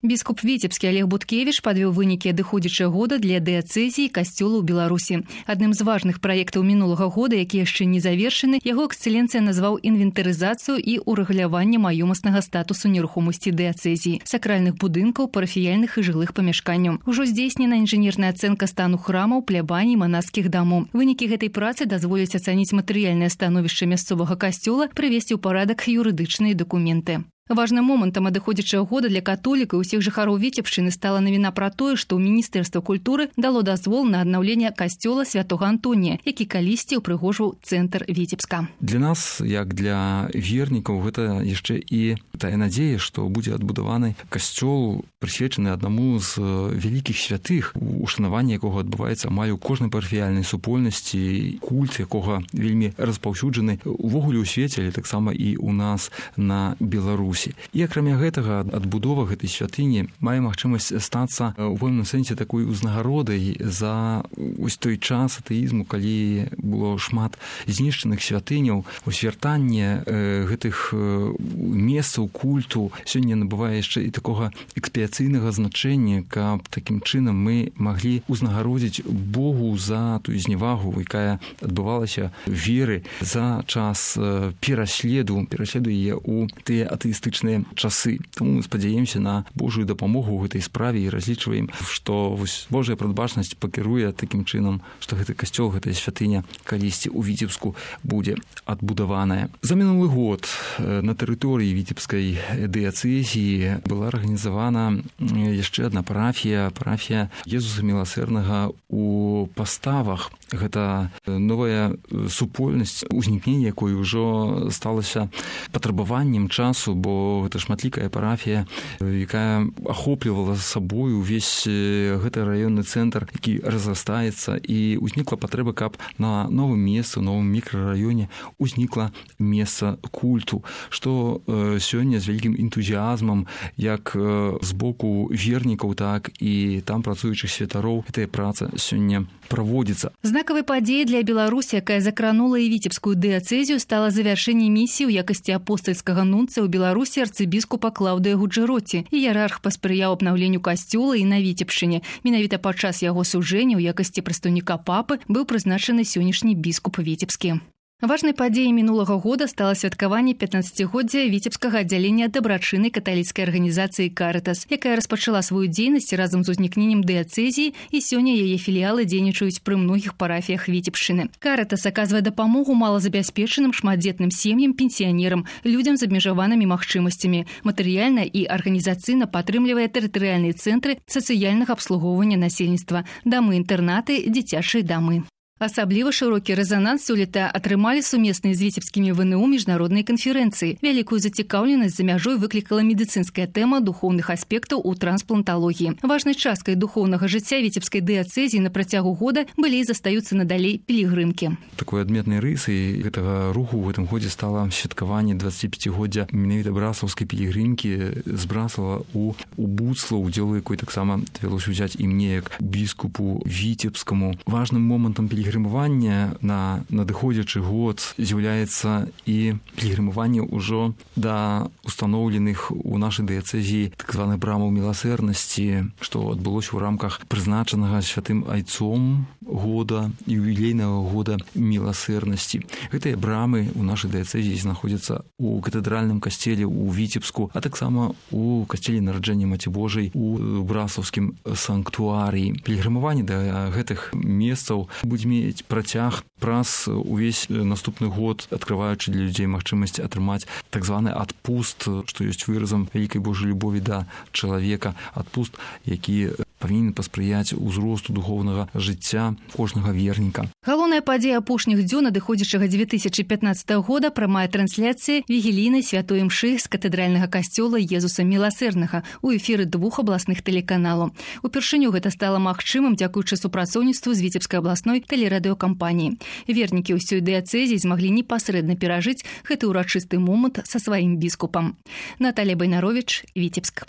Біскуп Віцебскі Олег Буткевіч падвёў вынікі адыходзячага года для дыяцэзіі касцёла ў Беларусі. Адным з важных праектаў мінулага года, які яшчэ не завершаны, яго эксцэленцыя назваў інвентарызацыю і ўрэгуляванне маёмаснага статусу нерухомасці дыяцэзіі, сакральных будынкаў, парафіяльных і жылых памяшканняў. Ужо здзейснена інжынерная ацэнка стану храмаў, плябаній, манаскіх дамоў. Вынікі гэтай працы дазволяць ацаніць матэрыяльнае становішча мясцовага касцёла, прывесці ў парадак юрыдычныя дакументы. Важным момантам адыходзячага года для католікаў і ўсіх жыхароў Віцебшчыны стала навіна пра тое, што Міністэрства культуры дало дазвол на аднаўленне касцёла святога Антонія, які калісьці ўпрыгожваў цэнтр Віцебска. Для нас, як для вернікаў, гэта яшчэ і тая надзея, што будзе адбудаваны касцёл, прысвечаны аднаму з вялікіх святых, ушанаванне якога адбываецца амаль у кожнай парафіяльнай супольнасці, культ якога вельмі распаўсюджаны увогуле ў свеце, але таксама і ў нас на Беларусі. І акрамя гэтага адбудова гэтай святыні мае магчымасць стацца ў пэўным сэнсе такой узнагародай за вось той час атэізму, калі было шмат знішчаных святыняў. Вяртанне гэтых месцаў культу сёння набывае яшчэ і такога экспіяцыйнага значэння, каб такім чынам мы маглі узнагародзіць Богу за тую зневагу, якая адбывалася веры за час пераследу яе ў тыя атэістычныя часы. Таму мы спадзяемся на Божую дапамогу ў гэтай справе і разлічваем, што Божая прадбачнасць пакіруе такім чынам, што гэты касцёл, гэтая святыня калісьці ў Віцебску будзе адбудаваная. За мінулы год на тэрыторыі Віцебскай дыяцэзіі была арганізавана яшчэ адна парафія Езуса Міласэрнага ў Паставах. Гэта новая супольнасць, узнікненне якой ужо сталася патрабаваннем часу, бо гэта шматлікая парафія, якая ахоплівала сабою увесь гэты раённы цэнтр, які разрастаецца, і ўзнікла патрэба, каб на новым месцы, у новым мікрараёне узнікла месца культу, што сёння з вялікім энтузіазмам як з боку вернікаў, так і там працуючых святароў гэтая праца сёння праводзіцца. Знакавай падзеяй для Беларусі, якая закранула і Віцебскую дыяцэзію, стала завяршэнне місіі ў якасці апостальскага нунцыя ў Беларусі арцыбіскупа Клаўдыя Гуджэроці. Іерарх паспрыяў абнаўленню касцёла і на Віцебшчыне. Менавіта падчас яго сужэння ў якасці прадстаўніка папы быў прызначаны сённяшні біскуп Віцебскі. Важнай падзеяй мінулага года стала святкаванне 15-годдзя Віцебскага аддзялення дабрачыннай каталіцкай арганізацыі «Карытас», якая распачала сваю дзейнасць разам з узнікненнем дыяцэзіі, і сёння яе філіялы дзейнічаюць пры многіх парафіях Віцебшчыны. «Карытас» аказвае дапамогу малазабяспечаным шматдзетным сем'ям, пенсіянерам, людзям з абмежаванымі магчымасцямі. Матэрыяльна і арганізацыйна падтрымлівае тэрытарыяльныя цэнтры сацыяльнага абслугоўвання насельніцтва, дамы-інтэрнаты, дзіцячыя дамы. Асабліва шырокі рэзананс сёлета атрымалі сумесныя з віцебскімі ВНУ міжнародныя канферэнцыі. Вялікую зацікаўленасць за мяжой выклікала медыцынская тэма духоўных аспектаў у транспланталогіі. Важнай часткай духоўнага жыцця Віцебскай дыяцэзіі на працягу года былі і застаюцца надалей пілігрымкі. Такой адметнай рысай гэтага руху ў гэтым годзе стала святкаванне 25-годдзя менавіта браслаўскай пілігрымкі з Браслава у Буцлаў, удзел якой таксама давялося ўзяць і мне як біскупу Віцебскаму. Важным момантам пілігрымавання на надыходзячы год з'яўляецца і пілігрымаванне ўжо да устаноўленых у нашай дыяцэзіі так званых брамаў міласэрнасці, што адбылося ў рамках прызначанага святым айцом года, ювілейнага года міласэрнасці. Гэтыя брамы ў нашай дыяцэзіі знаходзяцца ў катэдральным касцеле ў Віцебску, а таксама ў касцеле нараджэння Маці Божай у Браслаўскім санктуарыі. Пілігрымаванне да гэтых месцаў будзе мець працяг праз увесь наступны год, адкрываючы для людзей магчымасць атрымаць так званы адпуст, што ёсць выразам вялікай Божай любові да чалавека, адпуст, які павінен паспрыяць узросту духоўнага жыцця кожнага верніка. Галоўная падзея апошніх дзён адыходзячага 2015 года прамая трансляцыя вігілійнай святой імшы з катэдральнага касцёла Езуса Міласэрнага ў эфіры 2 абласных тэлеканалаў. Упершыню гэта стала магчымым дзякуючы супрацоўніцтву з Віцебскай абласной тэлерадыёкампаніяй. Вернікі ўсёй дыяцэзіі змаглі непасрэдна перажыць гэты ўрачысты момант са сваім біскупам. Наталія Байнаровіч, Віцебск.